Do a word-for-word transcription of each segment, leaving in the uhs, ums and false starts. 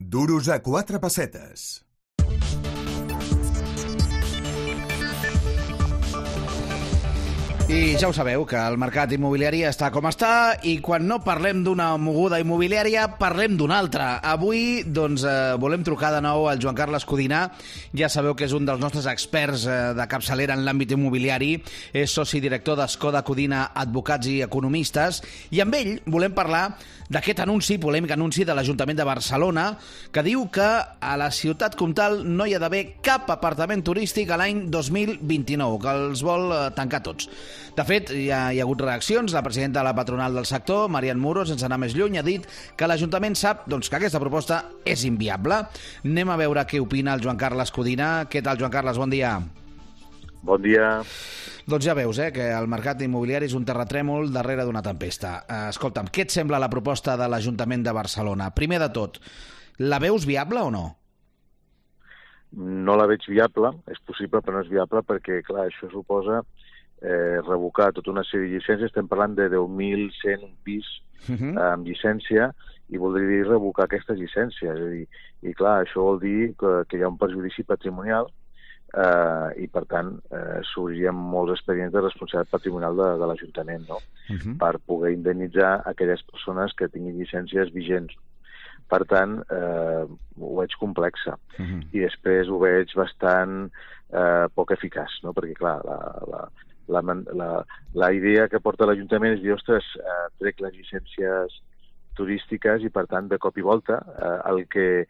Duros a quatre pessetes. I ja ho sabeu, que el mercat immobiliari està com està i quan no parlem d'una moguda immobiliària, parlem d'una altra. Avui, doncs, eh, volem trucar de nou al Joan Carles Codina. Ja sabeu que és un dels nostres experts eh, de capçalera en l'àmbit immobiliari. És soci director d'Escoda Codina Advocats i Economistes. I amb ell volem parlar d'aquest anunci, polèmic anunci de l'Ajuntament de Barcelona, que diu que a la ciutat comtal no hi ha d'haver cap apartament turístic a l'any dos mil vint-i-nou, que els vol eh, tancar tots. De fet, hi ha, hi ha hagut reaccions. La presidenta de la patronal del sector, Marian Muro, sense anar més lluny, ha dit que l'Ajuntament sap doncs, que aquesta proposta és inviable. Anem a veure què opina el Joan Carles Codina. Què tal, Joan Carles? Bon dia. Bon dia. Doncs ja veus eh, que el mercat immobiliari és un terratrèmol darrere d'una tempesta. Eh, escolta'm, què et sembla la proposta de l'Ajuntament de Barcelona? Primer de tot, la veus viable o no? No la veig viable, és possible, però no és viable perquè, clar, això suposa eh, revocar tota una sèrie de llicències. Estem parlant de deu mil cent un pis uh -huh. eh, amb llicència i voldria dir revocar aquestes llicències. És a dir, i clar, això vol dir que, que hi ha un perjudici patrimonial eh, i, per tant, eh, s'obririen molts expedients de responsabilitat patrimonial de, de l'Ajuntament, no? Uh -huh. Per poder indemnitzar aquelles persones que tinguin llicències vigents. Per tant, eh, ho veig complexa. Uh -huh. I després ho veig bastant eh, poc eficaç, no? Perquè, clar, la, la, la, la, la idea que porta l'Ajuntament és dir, ostres, eh, trec les llicències turístiques i, per tant, de cop i volta, eh, el, que,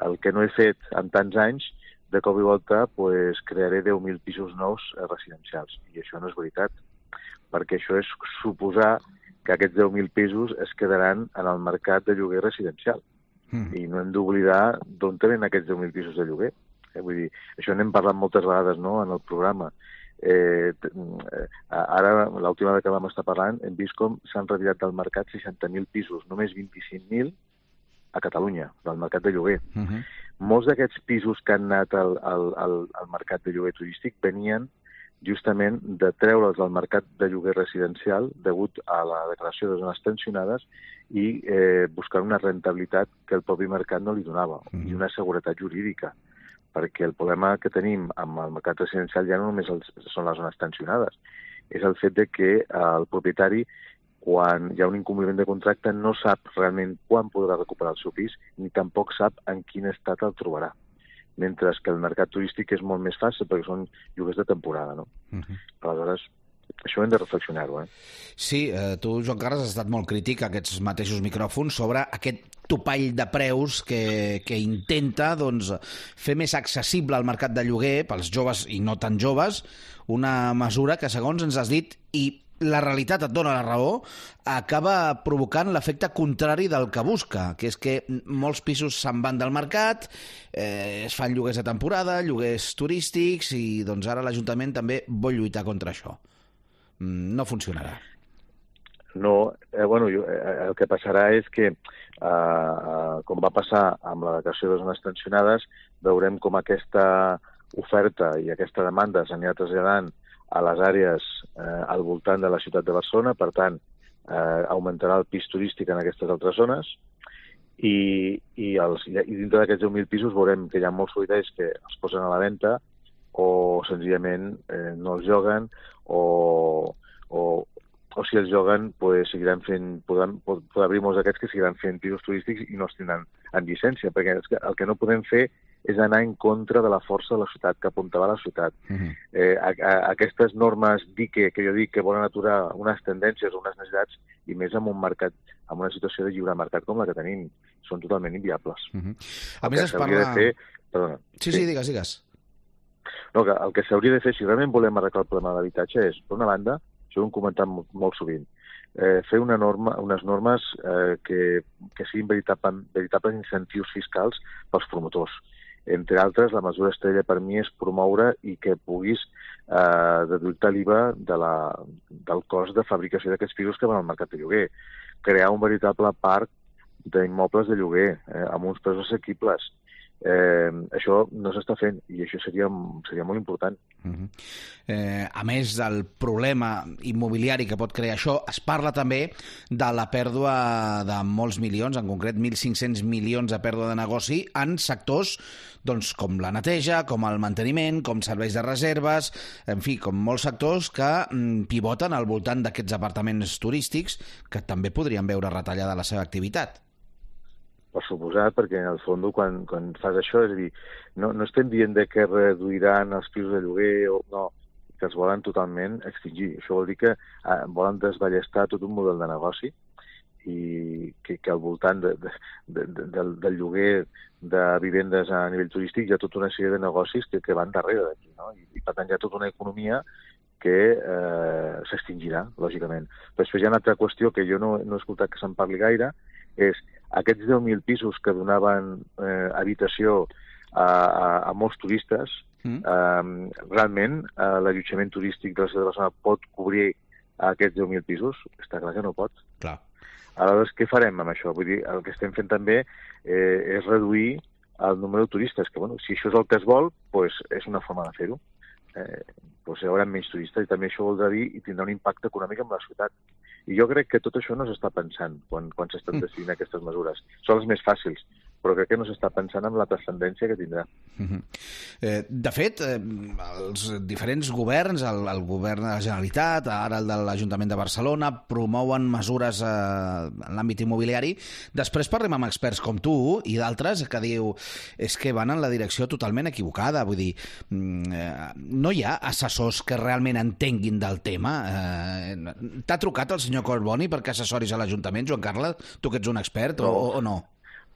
el que no he fet en tants anys, de cop i volta pues, crearé deu mil pisos nous eh, residencials. I això no és veritat, perquè això és suposar que aquests deu mil pisos es quedaran en el mercat de lloguer residencial. Mm. I no hem d'oblidar d'on tenen aquests deu mil pisos de lloguer. Eh, vull dir, això n'hem parlat moltes vegades, no?, en el programa. Eh, ara, l'última vegada que vam estar parlant, hem vist com s'han retirat del mercat seixanta mil pisos, només vint-i-cinc mil a Catalunya, del mercat de lloguer. Uh -huh. Molts d'aquests pisos que han anat al, al, al, al mercat de lloguer turístic venien justament de treure'ls del mercat de lloguer residencial degut a la declaració de zones tensionades i eh, buscar una rentabilitat que el propi mercat no li donava, uh -huh. i una seguretat jurídica, perquè el problema que tenim amb el mercat residencial ja no només els, són les zones tensionades, és el fet de que el propietari, quan hi ha un incompliment de contracte, no sap realment quan podrà recuperar el seu pis, ni tampoc sap en quin estat el trobarà. Mentre que el mercat turístic és molt més fàcil, perquè són lloguers de temporada, no? Uh-huh. Aleshores, això hem de reflexionar-ho, eh? Sí, eh, tu, Joan Carles, has estat molt crític a aquests mateixos micròfons sobre aquest topall de preus que, que intenta doncs, fer més accessible al mercat de lloguer pels joves i no tan joves, una mesura que, segons ens has dit, i la realitat et dona la raó, acaba provocant l'efecte contrari del que busca, que és que molts pisos se'n van del mercat, eh, es fan lloguers de temporada, lloguers turístics, i doncs ara l'Ajuntament també vol lluitar contra això. No funcionarà. No, eh, bueno, jo, eh, el que passarà és que, eh, com va passar amb la declaració de zones tensionades, veurem com aquesta oferta i aquesta demanda s'anirà traslladant a les àrees eh, al voltant de la ciutat de Barcelona. Per tant, eh, augmentarà el pis turístic en aquestes altres zones i, i, els, i dintre d'aquests deu mil pisos veurem que hi ha molts solitaris que els posen a la venda o senzillament eh, no els lloguen o, o, o si els lloguen pues, seguiran fent, podran, pot, pot haver molts d'aquests que seguiran fent pisos turístics i no els tindran en llicència, perquè el que no podem fer és anar en contra de la força de la ciutat, que apuntava la ciutat. Uh-huh. eh, a, a, aquestes normes dique, que jo dic que volen aturar unes tendències o unes necessitats, i més en un mercat, en una situació de lliure mercat com la que tenim, són totalment inviables. Uh-huh. A més es parla... De fer... Perdona. Sí, sí, sí, digues, digues. No, que el que s'hauria de fer, si realment volem arreglar el problema de l'habitatge, és, per una banda, això ho hem comentat molt, molt sovint, eh, fer una norma, unes normes eh, que, que siguin veritable, veritables incentius fiscals pels promotors. Entre altres, la mesura estrella per mi és promoure i que puguis eh, deduir-te l'I V A de la, del cost de fabricació d'aquests pisos que van al mercat de lloguer. Crear un veritable parc d'immobles de lloguer eh, amb uns preus assequibles. Eh, això no s'està fent i això seria, seria molt important. Uh-huh. eh, a més del problema immobiliari que pot crear això, es parla també de la pèrdua de molts milions, en concret mil cinc-cents milions de pèrdua de negoci en sectors doncs, com la neteja, com el manteniment, com serveis de reserves, en fi, com molts sectors que mm, pivoten al voltant d'aquests apartaments turístics que també podrien veure retallada la seva activitat. Per suposat, perquè en el fons quan, quan fas això, és a dir, no, no estem dient de que reduiran els pisos de lloguer, o no, que els volen totalment extingir. Això vol dir que eh, volen desballestar tot un model de negoci i que, que al voltant de, de, de, de, del, del lloguer de vivendes a nivell turístic hi ha tota una sèrie de negocis que, que van darrere d'aquí, no? I, i per tant hi ha tota una economia que eh, s'extingirà, lògicament. Però després hi ha una altra qüestió que jo no, no he escoltat que se'n parli gaire, és aquests deu mil pisos que donaven eh, habitació a, a, a molts turistes, mm. eh, realment eh, l'allotjament turístic de la ciutat de Barcelona pot cobrir aquests deu mil pisos? Està clar que no pot. Clar. Aleshores, què farem amb això? Vull dir, el que estem fent també eh, és reduir el número de turistes, que bueno, si això és el que es vol, pues, és una forma de fer-ho. Eh, doncs hi haurà menys turistes i també això voldrà dir i tindrà un impacte econòmic en la ciutat. I jo crec que tot això no s'està pensant quan, quan s'estan decidint aquestes mesures. Són les més fàcils, però crec que no s'està pensant en la transcendència que tindrà. Uh-huh. eh, de fet, eh, els diferents governs, el, el govern de la Generalitat, ara el de l'Ajuntament de Barcelona, promouen mesures eh, en l'àmbit immobiliari. Després parlem amb experts com tu i d'altres que diu és que van en la direcció totalment equivocada. Vull dir, eh, no hi ha assessors que realment entenguin del tema. Eh, t'ha trucat el senyor Collboni perquè assessoris a l'Ajuntament, Joan Carles? Tu que ets un expert o, no. o no?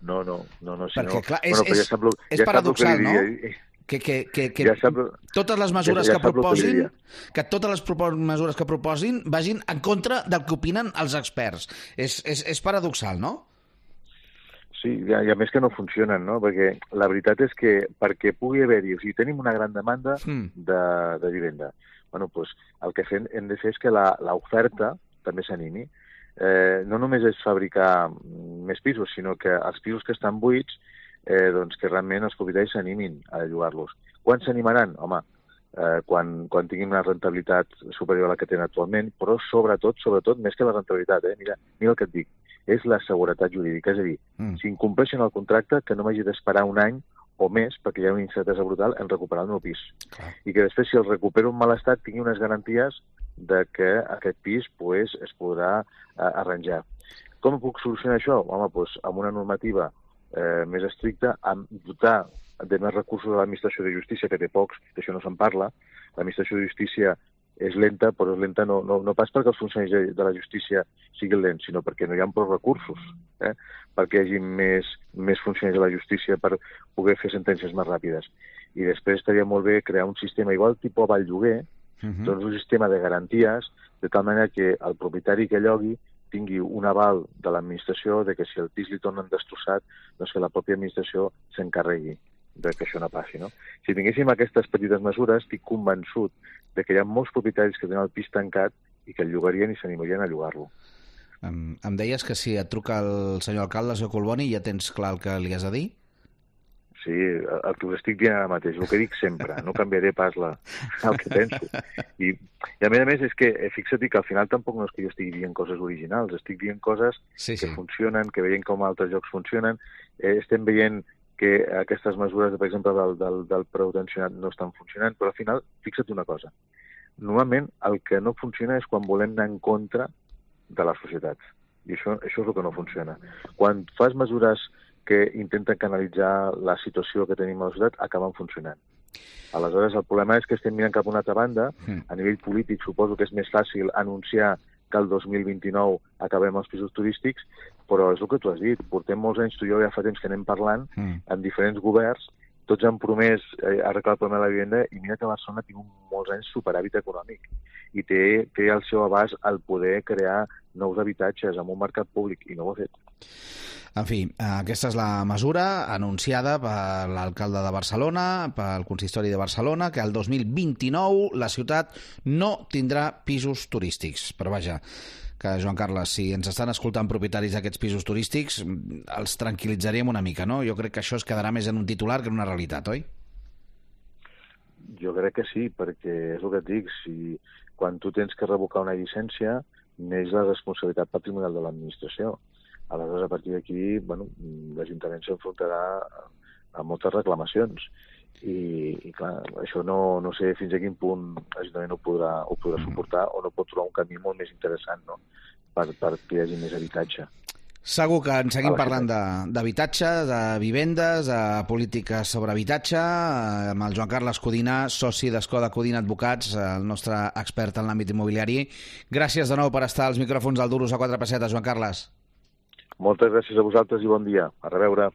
No, no, no, no. Si perquè, no... clar, és, bueno, és, ja sap lo, és ja paradoxal, que no? diria. Que, que, que, que ja sap, totes les mesures ja, ja que proposin, que, que totes les mesures que proposin vagin en contra del que opinen els experts. És, és, és paradoxal, no? Sí, i a, a més que no funcionen, no? Perquè la veritat és que perquè pugui haver-hi, o sigui, tenim una gran demanda mm. de, de vivenda. Bueno, doncs el que fem, hem de fer és que l'oferta també s'animi. Eh, no només és fabricar més pisos, sinó que els pisos que estan buits, eh, doncs que realment els propietaris s'animin a llogar-los. Quan s'animaran? Home, eh, quan, quan tinguin una rentabilitat superior a la que tenen actualment, però sobretot, sobretot, més que la rentabilitat, eh? Mira, mira el que et dic, és la seguretat jurídica. És a dir, mm. si incompleixen el contracte, que no m'hagi d'esperar un any o més, perquè hi ha una incertesa brutal en recuperar el meu pis. Clar. I que després, si el recupero en mal estat, tingui unes garanties de que aquest pis pues, es podrà eh, arranjar. Com puc solucionar això? Home, doncs, amb una normativa eh, més estricta, amb dotar de més recursos a l'administració de justícia, que té pocs, d'això no se'n parla. L'administració de justícia és lenta, però és lenta no, no, no pas perquè els funcionaris de la justícia siguin lents, sinó perquè no hi ha prou recursos, eh? perquè hi hagi més, més funcionaris de la justícia per poder fer sentències més ràpides. I després estaria molt bé crear un sistema igual tipus aval lloguer, uh-huh. doncs un sistema de garanties, de tal manera que el propietari que llogui tingui un aval de l'administració de que si el pis li tornen destrossat, doncs que la pròpia administració s'encarregui de que això no passi, no? Si tinguéssim aquestes petites mesures, estic convençut de que hi ha molts propietaris que tenen el pis tancat i que el llogarien i s'animarien a llogar-lo. Em, em deies que si et truca el senyor alcalde, el senyor Collboni, ja tens clar el que li has de dir? Sí, el que us estic dient ara mateix, el que dic sempre, no canviaré pas la, el que penso. I, I a més a més és que, fixa't que al final tampoc no és que jo estigui dient coses originals, estic dient coses sí, sí. que funcionen, que veiem com altres llocs funcionen, eh, estem veient que aquestes mesures, per exemple, del, del, del preu tensionat no estan funcionant, però al final, fixa't una cosa, normalment el que no funciona és quan volem anar en contra de la societat, i això, això és el que no funciona. Quan fas mesures que intenten canalitzar la situació que tenim a la societat, acaben funcionant. Aleshores, el problema és que estem mirant cap a una altra banda, a nivell polític suposo que és més fàcil anunciar que el dos mil vint-i-nou acabem els pisos turístics, però és el que tu has dit, portem molts anys, tu i jo ja fa temps que anem parlant, mm. amb diferents governs, tots han promès eh, arreglar el problema de la vivenda, i mira que Barcelona ha tingut molts anys superàvit econòmic, i té, té al seu abast el poder crear nous habitatges en un mercat públic, i no ho ha fet. En fi, aquesta és la mesura anunciada per l'alcalde de Barcelona, pel consistori de Barcelona, que el dos mil vint-i-nou la ciutat no tindrà pisos turístics. Però vaja, que, Joan Carles, si ens estan escoltant propietaris d'aquests pisos turístics, els tranquil·litzaríem una mica, no? Jo crec que això es quedarà més en un titular que en una realitat, oi? Jo crec que sí, perquè és el que et dic, si quan tu tens que revocar una llicència, neix la responsabilitat patrimonial de l'administració. Aleshores, a partir d'aquí, bueno, l'Ajuntament s'enfrontarà a moltes reclamacions. I, i clar, això no, no sé fins a quin punt l'Ajuntament ho podrà, ho podrà suportar o no pot trobar un camí molt més interessant, no? per, per que hi hagi més habitatge. Segur que en seguim parlant d'habitatge, de, de vivendes, de polítiques sobre habitatge, amb el Joan Carles Codina, soci d'Escoda Codina Advocats, el nostre expert en l'àmbit immobiliari. Gràcies de nou per estar als micròfons del Duros a quatre pessetes, Joan Carles. Moltes gràcies a vosaltres i bon dia. A reveure.